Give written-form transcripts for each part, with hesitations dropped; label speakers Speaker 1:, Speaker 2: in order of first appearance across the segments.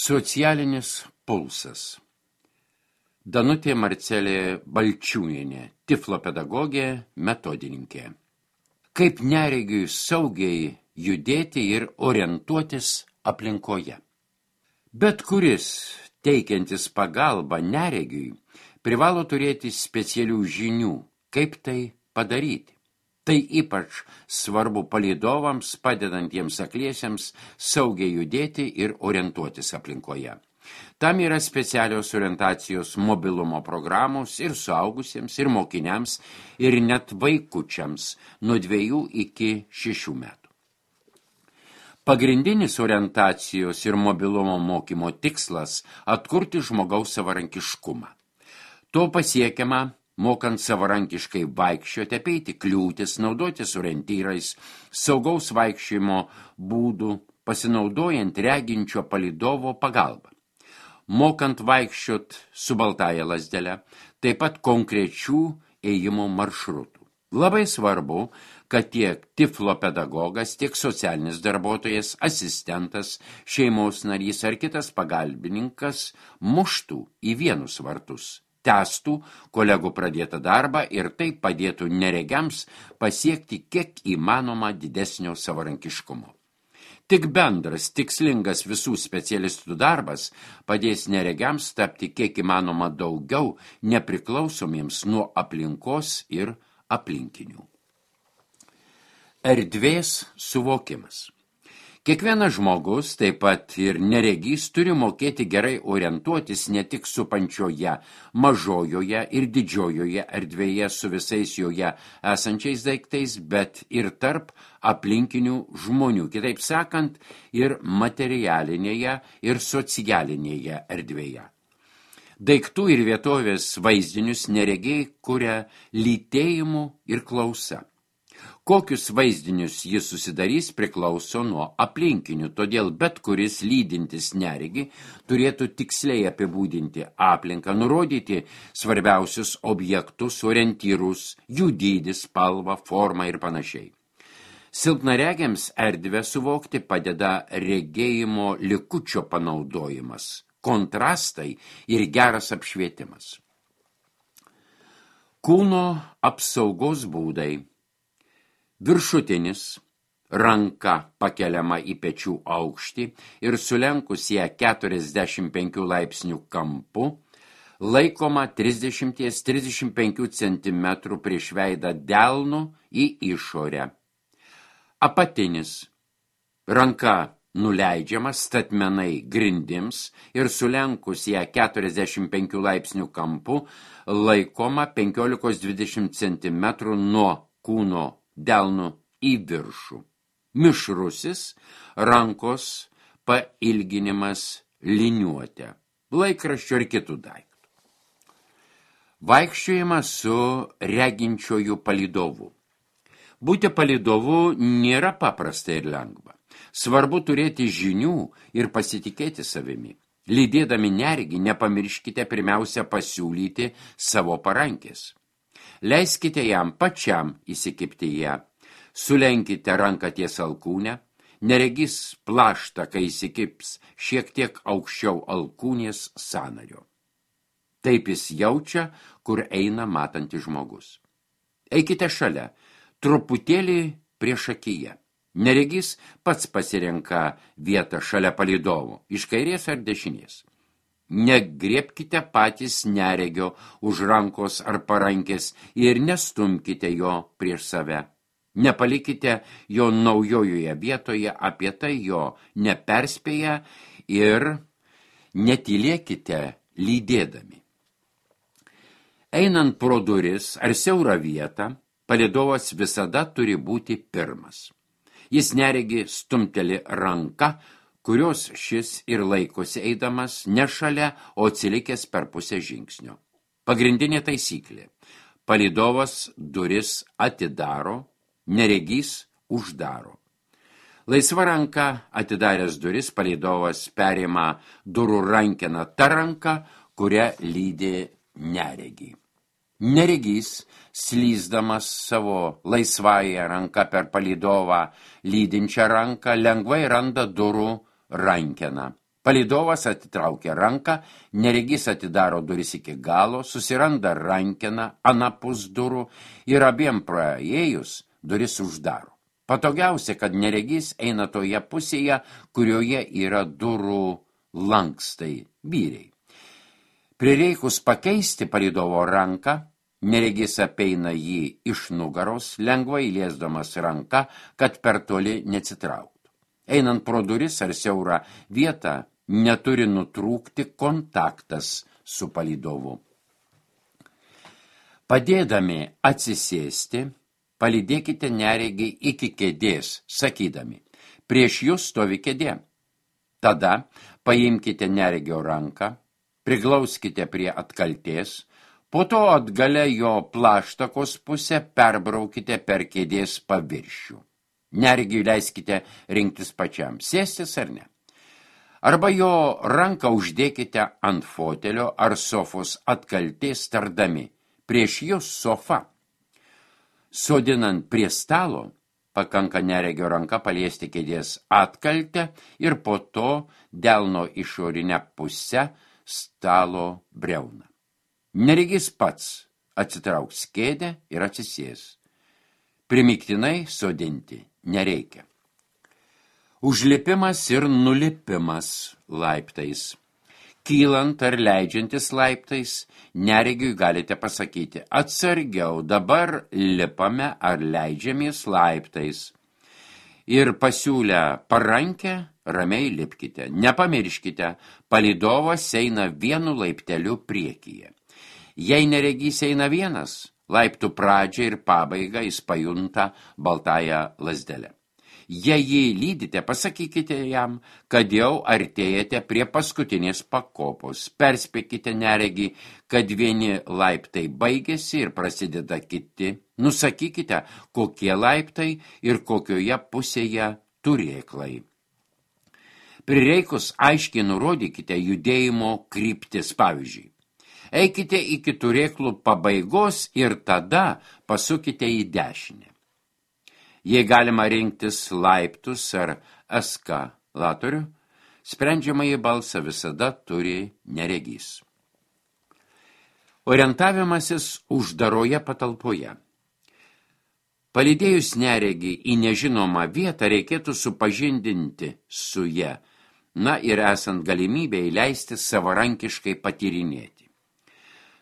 Speaker 1: Socialinis pulsas. Danutė Marcelė Balčiūnienė, tiflo pedagogė, metodininkė. Kaip neregiui saugiai judėti ir orientuotis aplinkoje. Bet kuris teikiantis pagalbą neregiui privalo turėti specialių žinių, kaip tai padaryti. Tai ypač svarbu palydovams, padedantiems akliesiems saugiai judėti ir orientuotis aplinkoje. Tam yra specialios orientacijos mobilumo programos ir suaugusiems, ir mokiniams, ir net vaikučiams nuo 2 iki 6 metų. Pagrindinis orientacijos ir mobilumo mokymo tikslas – atkurti žmogaus savarankiškumą. To pasiekiama mokant savarankiškai vaikščioti, apeiti kliūtis, naudotis orientyrais, saugaus vaikščiojimo būdų, pasinaudojant reginčio palydovo pagalbą. Mokant vaikščiot su baltąja lazdele, taip pat konkrečių ėjimo maršrutų. Labai svarbu, kad tiek tiflo pedagogas, tiek socialinis darbuotojas, asistentas, šeimos narys ar kitas pagalbininkas muštų į vienus vartus. Tęstų kolegų pradėtą darbą ir tai padėtų neregiams pasiekti kiek įmanoma didesnio savarankiškumo. Tik bendras, tikslingas visų specialistų darbas padės neregiams tapti kiek įmanoma daugiau nepriklausomiems nuo aplinkos ir aplinkinių. Erdvės suvokimas. Kiekvienas žmogus, taip pat ir neregys, turi mokėti gerai orientuotis ne tik supančioje, mažojoje ir didžiojoje erdvėje su visais joje esančiais daiktais, bet ir tarp aplinkinių žmonių, kitaip sakant, ir materialinėje ir socialinėje erdvėje. Daiktų ir vietovės vaizdinius neregiai kuria lytėjimu ir klausa. Kokius vaizdinius jis susidarys priklauso nuo aplinkinių, todėl bet kuris lydintis neregi turėtų tiksliai apibūdinti aplinką, nurodyti svarbiausius objektus, orientyrus, jų dydį, spalvą, formą ir panašiai. Silpnaregiams erdvę suvokti padeda regėjimo likučio panaudojimas, kontrastai ir geras apšvietimas. Kūno apsaugos būdai. Viršutinis, ranka pakeliama į pečių aukštį ir sulenkus ją 45 laipsnių kampu, laikoma 30-35 cm prieš veidą delnu į išorę. Apatinis, ranka nuleidžiama statmenai grindims ir sulenkus ją 45 laipsnių kampu, laikoma 15-20 cm nuo kūno delnu į viršų. Mišrusis, rankos pailginimas liniuotė, laikraščio ir kitų daiktų. Vaikščiojimas su reginčiuoju palydovu. Būti palydovu nėra paprasta ir lengva. Svarbu turėti žinių ir pasitikėti savimi. Lydėdami neregį nepamirškite pirmiausia pasiūlyti savo parankės. Leiskite jam pačiam įsikibti ją, sulenkite ranką ties alkūnę, neregys plaštą, kai įsikips šiek tiek aukščiau alkūnės sąnario. Taip jis jaučia, kur eina matantis žmogus. Eikite šalia, truputėlį priešakyje. Neregys pats pasirenka vietą šalia palydovo, iš kairės ar dešinės. Negriebkite patys neregio už rankos ar parankės ir nestumkite jo prieš save. Nepalikite jo naujojoje vietoje, apie tai jo neperspėję ir netylėkite lydėdami. Einant pro duris ar siaurą vietą, palydovas visada turi būti pirmas. Jis neregi stumteli ranką, kurios šis ir laikosi eidamas ne šalia, o atsilikęs per pusę žingsnio. Pagrindinė taisyklė. Palydovas duris atidaro, neregys uždaro. Laisva ranka atidaręs duris, palydovas perima durų rankeną tą ranką, kurią lydi neregį. Neregys, slysdamas savo laisvąją ranką per palydovą lydinčią ranką, lengvai randa durų rankeną. Palydovas atitraukia ranką, neregys atidaro duris iki galo, susiranda rankeną anapus durų ir abiem praėjus duris uždaro. Patogiausia, kad neregys eina toje pusėje, kurioje yra durų lankstai, vyriai. Prireikus pakeisti palydovo ranką, neregys apeina jį iš nugaros, lengvai liesdamas ranką, kad per toli neatsitrauktų. Einant pro duris ar siaurą vietą, neturi nutrūkti kontaktas su palydovu. Padėdami atsisėsti, palydėkite neregį iki kėdės, sakydami, prieš jūs stovi kėdė. Tada paimkite neregio ranką, priglauskite prie atkaltės, po to atgale jo plaštakos pusę perbraukite per kėdės paviršių. Neregiui leiskite rinktis pačiam, sėstis ar ne. Arba jo ranką uždėkite ant fotelio ar sofos atkaltės tardami, prieš jūs sofa. Sodinant prie stalo, pakanka neregio ranką paliesti kėdės atkaltę ir po to delno išorinę pusę stalo briauną. Neregys pats atsitrauks kėdę ir atsisės. Primiktinai sodinti nereikia. Užlipimas ir nulipimas laiptais. Kylant ar leidžiantis laiptais, neregiui galite pasakyti, atsargiau, dabar lipame ar leidžiamės laiptais. Ir pasiūlę parankę, ramiai lipkite. Nepamirškite, palydovas eina vienu laipteliu priekyje. Jei neregys eina vienas, laiptų pradžią ir pabaigą jis pajunta baltąją lazdelę. Jei jį lydite, pasakykite jam, kad jau artėjate prie paskutinės pakopos. Perspėkite neregį, kad vieni laiptai baigėsi ir prasideda kiti. Nusakykite, kokie laiptai ir kokioje pusėje turėklai. Prireikus aiškiai nurodykite judėjimo kryptis, pavyzdžiui. Eikite iki turėklų pabaigos ir tada pasukite į dešinę. Jei galima rinktis laiptus ar eskalatorių, sprendžiamąjį balsą visada turi neregys. Orientavimasis uždaroje patalpoje. Palydėjus neregį į nežinomą vietą reikėtų supažindinti su ja, ir esant galimybę įleisti savarankiškai patyrinėti.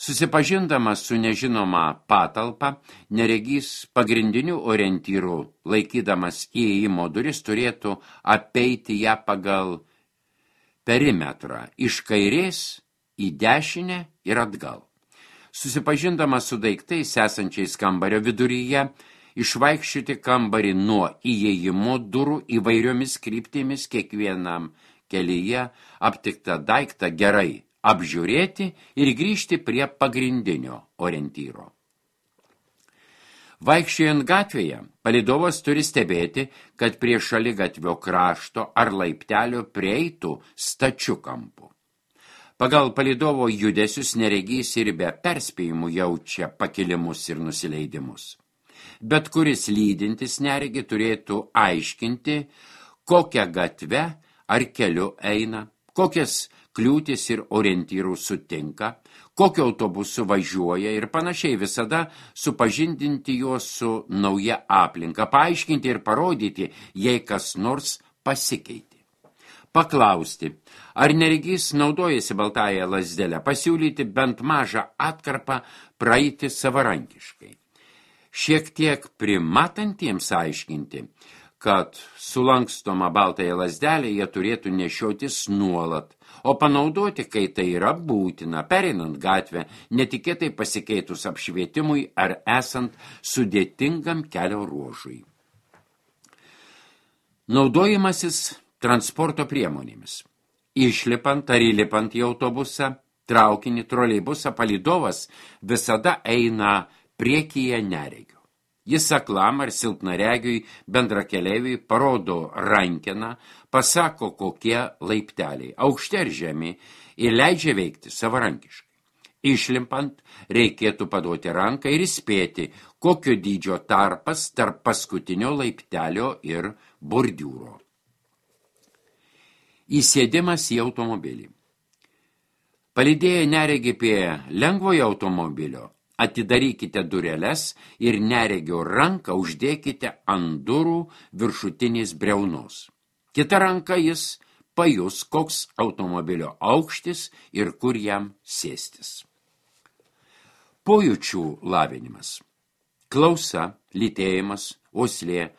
Speaker 1: Susipažindamas su nežinoma patalpa, neregys pagrindinių orientyrų, laikydamas įėjimo duris, turėtų apeiti ją pagal perimetrą, iš kairės į dešinę ir atgal. Susipažindamas su daiktais esančiais kambario viduryje, išvaikščioti kambarį nuo įėjimo durų įvairiomis kryptimis, kiekvienam kelyje aptiktą daiktą gerai apžiūrėti ir grįžti prie pagrindinio orientyro. Vaikščiojant gatvėje, palydovas turi stebėti, kad prie šaligatvio krašto ar laiptelio prieitų stačiu kampu. Pagal palydovo judesius neregys ir be perspėjimų jaučia pakilimus ir nusileidimus. Bet kuris lydintis neregį turėtų aiškinti, kokią gatvę ar keliu eina, kokias kliūtis ir orientyrų sutinka, kokio autobusu važiuoja ir panašiai, visada supažindinti juos su nauja aplinka, paaiškinti ir parodyti, jei kas nors pasikeitė. Paklausti, ar neregys naudojasi baltąją lazdelę, pasiūlyti bent mažą atkarpą praeiti savarankiškai. Šiek tiek primatantiems aiškinti, kad sulankstoma baltąją lazdelę jie turėtų nešiotis nuolat, o panaudoti, kai tai yra būtina, pereinant gatvę, netikėtai pasikeitus apšvietimui ar esant sudėtingam kelio ruožui. Naudojimasis transporto priemonėmis. Išlipant ar įlipant į autobusą, traukinį, troleibusą, palydovas visada eina priekyje neregio. Jis aklam ar silpnaregiui bendrakeleiviui parodo rankeną, pasako kokie laipteliai, aukšti ar žemi, ir leidžia veikti savarankiškai. Išlimpant reikėtų paduoti ranką ir įspėti, kokio dydžio tarpas tarp paskutinio laiptelio ir bordiūro. Įsėdimas į automobilį. Palydėję neregį prie lengvojo automobilio, atidarykite dureles ir neregio ranką uždėkite ant durų viršutinės briaunos. Kita ranka jis pajus, koks automobilio aukštis ir kur jam sėstis. Pojūčių lavinimas. Klausa, lytėjimas, uoslė,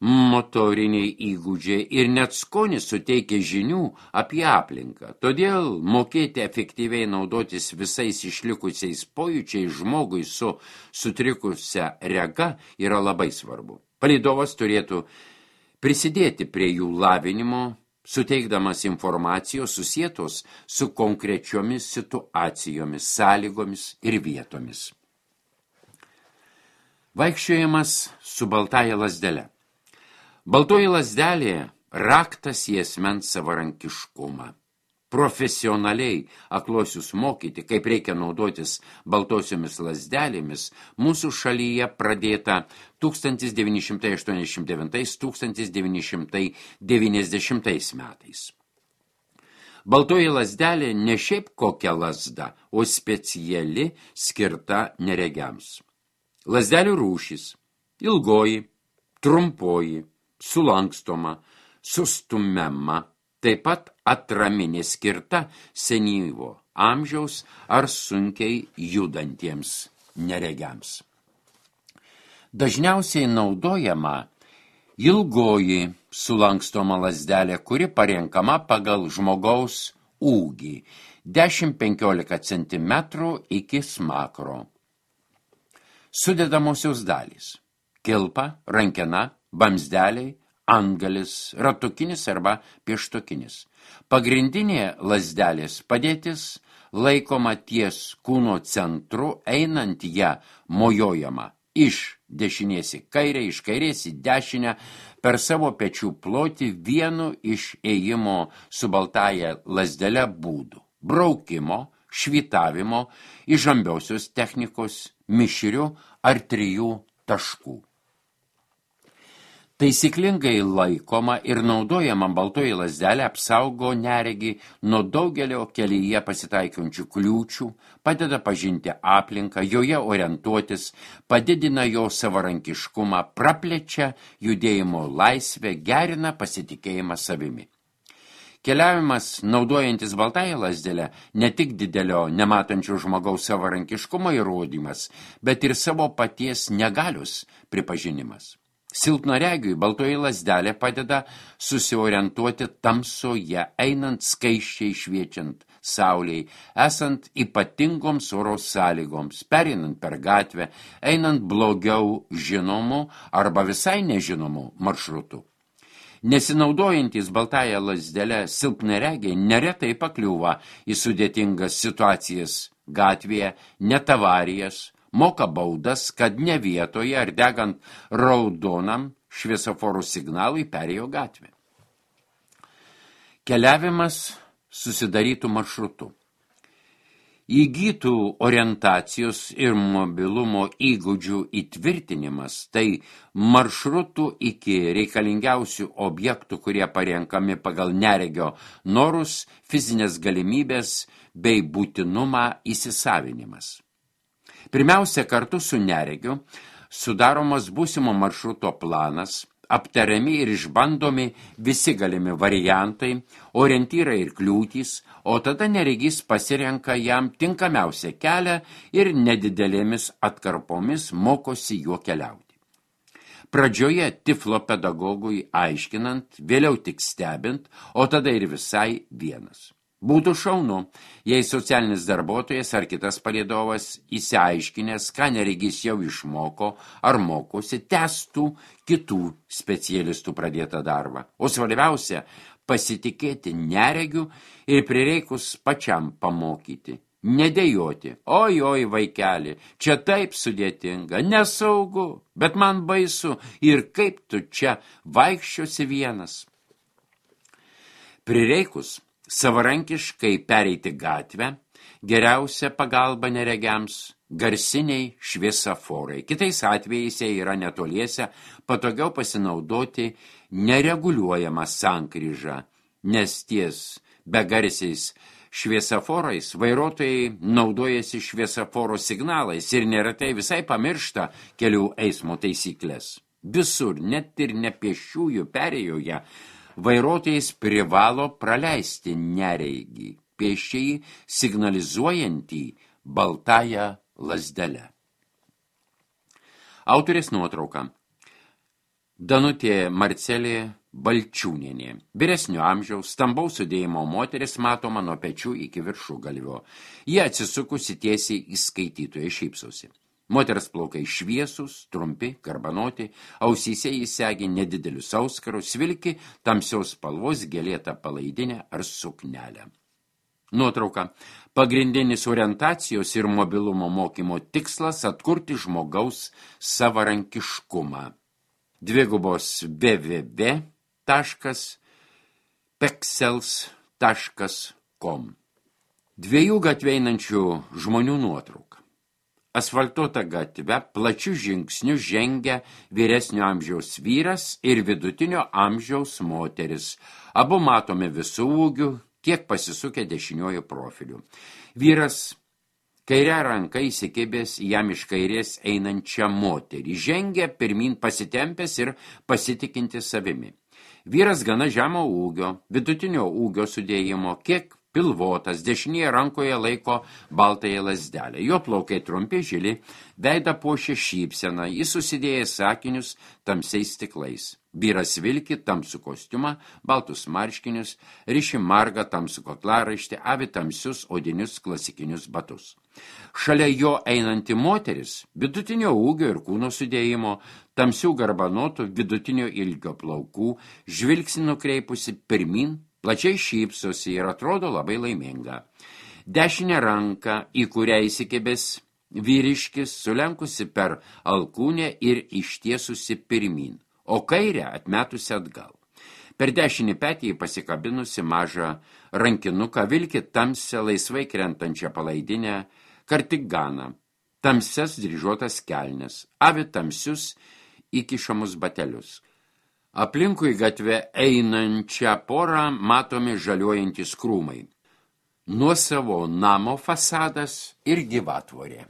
Speaker 1: motoriniai įgūdžiai ir net skonis suteikia žinių apie aplinką. Todėl mokėti efektyviai naudotis visais išlikusiais pojūčiais žmogui su sutrikusia rega yra labai svarbu. Palydovas turėtų prisidėti prie jų lavinimo, suteikdamas informacijos susietos su konkrečiomis situacijomis, sąlygomis ir vietomis. Vaikščiojimas su baltaja lazdele. Baltoji lazdelė raktas į asmens savarankiškumą. Profesionaliai akluosius mokyti, kaip reikia naudotis baltosiomis lazdelėmis, mūsų šalyje pradėta 1989–1990 metais. Baltoji lazdelė ne šiaip kokia lazda, o speciali skirta neregiams. Lazdelių rūšys – ilgoji, trumpoji, sulankstoma, sustumiama, taip pat atraminė skirta senyvo amžiaus ar sunkiai judantiems neregiams. Dažniausiai naudojama ilgoji sulankstoma lazdelė, kuri parenkama pagal žmogaus ūgį 10–15 cm iki smakro. Sudedamosios dalys – kilpa, rankena, vamzdeliai, antgalis, ratukinis arba pieštukinis. Pagrindinė lazdelės padėtis laikoma ties kūno centru, einant ją mojojama iš dešinės į kairę, iš kairės į dešinę, per savo pečių plotį vienu iš ėjimo su baltaja lazdele būdų – braukimo, švytavimo, įžambiausios technikos, mišrių ar 3 taškų. Taisyklingai laikoma ir naudojama baltoji lazdelė apsaugo neregį nuo daugelio kelyje pasitaikiančių kliūčių, padeda pažinti aplinką, joje orientuotis, padidina jo savarankiškumą, praplečia judėjimo laisvę, gerina pasitikėjimą savimi. Keliavimas, naudojantis baltąją lazdelę, ne tik didelio nematančio žmogaus savarankiškumo įrodymas, bet ir savo paties negalios pripažinimas. Silpnaregiui baltoji lazdelė padeda susiorientuoti tamsoje, einant skaisčiai šviečiant saulei, esant ypatingoms oro sąlygoms, pereinant per gatvę, einant blogiau žinomų arba visai nežinomų maršrutų. Nesinaudojantis baltąją lazdelę silpnaregiai neretai pakliūva į sudėtingas situacijas gatvėje, net avarijas, moka baudas, kad ne vietoje ar degant raudonam šviesoforų signalui perėjo gatvę. Keliavimas susidarytų maršrutu. Įgytų orientacijos ir mobilumo įgūdžių įtvirtinimas, tai maršrutų iki reikalingiausių objektų, kurie parenkami pagal neregio norus, fizinės galimybės bei būtinumą įsisavinimas. Pirmiausia, kartu su neregiu sudaromas būsimo maršruto planas, aptariami ir išbandomi visi galimi variantai, orientyrai ir kliūtys, o tada neregys pasirenka jam tinkamiausią kelią ir nedidelėmis atkarpomis mokosi juo keliauti. Pradžioje tiflo pedagogui aiškinant, vėliau tik stebint, o tada ir visai vienas. Būtų šaunu, jei socialinis darbuotojas ar kitas palydovas įsiaiškinęs, ką neregys jau išmoko ar mokosi, testų kitų specialistų pradėtą darbą. O svarbiausia, pasitikėti neregiu ir prireikus pačiam pamokyti. Nedėjoti, oi vaikeli, čia taip sudėtinga, nesaugu, bet man baisu ir kaip tu čia vaikščiosi vienas. Prireikus savarankiškai pereiti gatvę, geriausia pagalba neregiams, garsiniai šviesaforai. Kitais atvejais, jei yra netoliese, patogiau pasinaudoti nereguliuojama sankryža, nes ties begarsiais šviesaforais vairuotojai naudojasi šviesaforo signalais ir neretai visai pamiršta kelių eismo taisyklės. Visur, net ir nepėsčiųjų perėjoje, vairuotojas privalo praleisti nereigį, pėsčiai signalizuojantį baltąją lazdelę. Autorės nuotrauka. Danutė Marcelė Balčiūnienė. Vyresnio amžiaus, stambaus sudėjimo moteris matoma nuo pečių iki viršugalvio. Jie atsisukusi tiesiai į skaitytoją šypsosi. Moters plaukai šviesus, trumpi, garbanoti, ausyse jis segi nedidelius auskarus, vilki tamsios spalvos gėlėtą palaidinę ar suknelę. Nuotrauka. Pagrindinis orientacijos ir mobilumo mokymo tikslas atkurti žmogaus savarankiškumą. www.pexels.com. Dviejų gatvę einančių žmonių nuotrauka. Asfaltuota gatve plačių žingsnių žengia vyresnio amžiaus vyras ir vidutinio amžiaus moteris. Abu matome visų ūgių, kiek pasisukę dešiniuoju profiliu. Vyras kairę ranką įsikibęs jam iš kairės einančią moterį. Žengia pirmin pasitempęs ir pasitikinti savimi. Vyras gana žemo ūgio, vidutinio ūgio sudėjimo, kiek pilvotas, dešinėje rankoje laiko baltąją lazdelę. Jo plaukai trumpi žili, veidą puošia šypseną, jis susidėjęs sakinius tamsiais stiklais. Vyras vilki tamsų kostiumą, baltus marškinius, riši margą tamsų kaklaraištį, avi tamsius odinius klasikinius batus. Šalia jo einanti moteris, vidutinio ūgio ir kūno sudėjimo, tamsių garbanotų, vidutinio ilgio plaukų, žvilgsnį nukreipusi pirmin, plačiai šypsosi ir atrodo labai laiminga. Dešinę ranką, į kurią įsikibęs vyriškis, sulenkusi per alkūnę ir ištiesusi pirmin, o kairę atmetusi atgal. Per dešinį petį pasikabinusi mažą rankinuką, vilki tamsią laisvai krentančią palaidinę, kardiganą, tamsias dryžuotas kelnes, avi tamsius įkišamus batelius. Aplinkui gatvę einančią porą matomi žaliuojantys krūmai. Nuosavo namo fasadas ir gyvatvorė.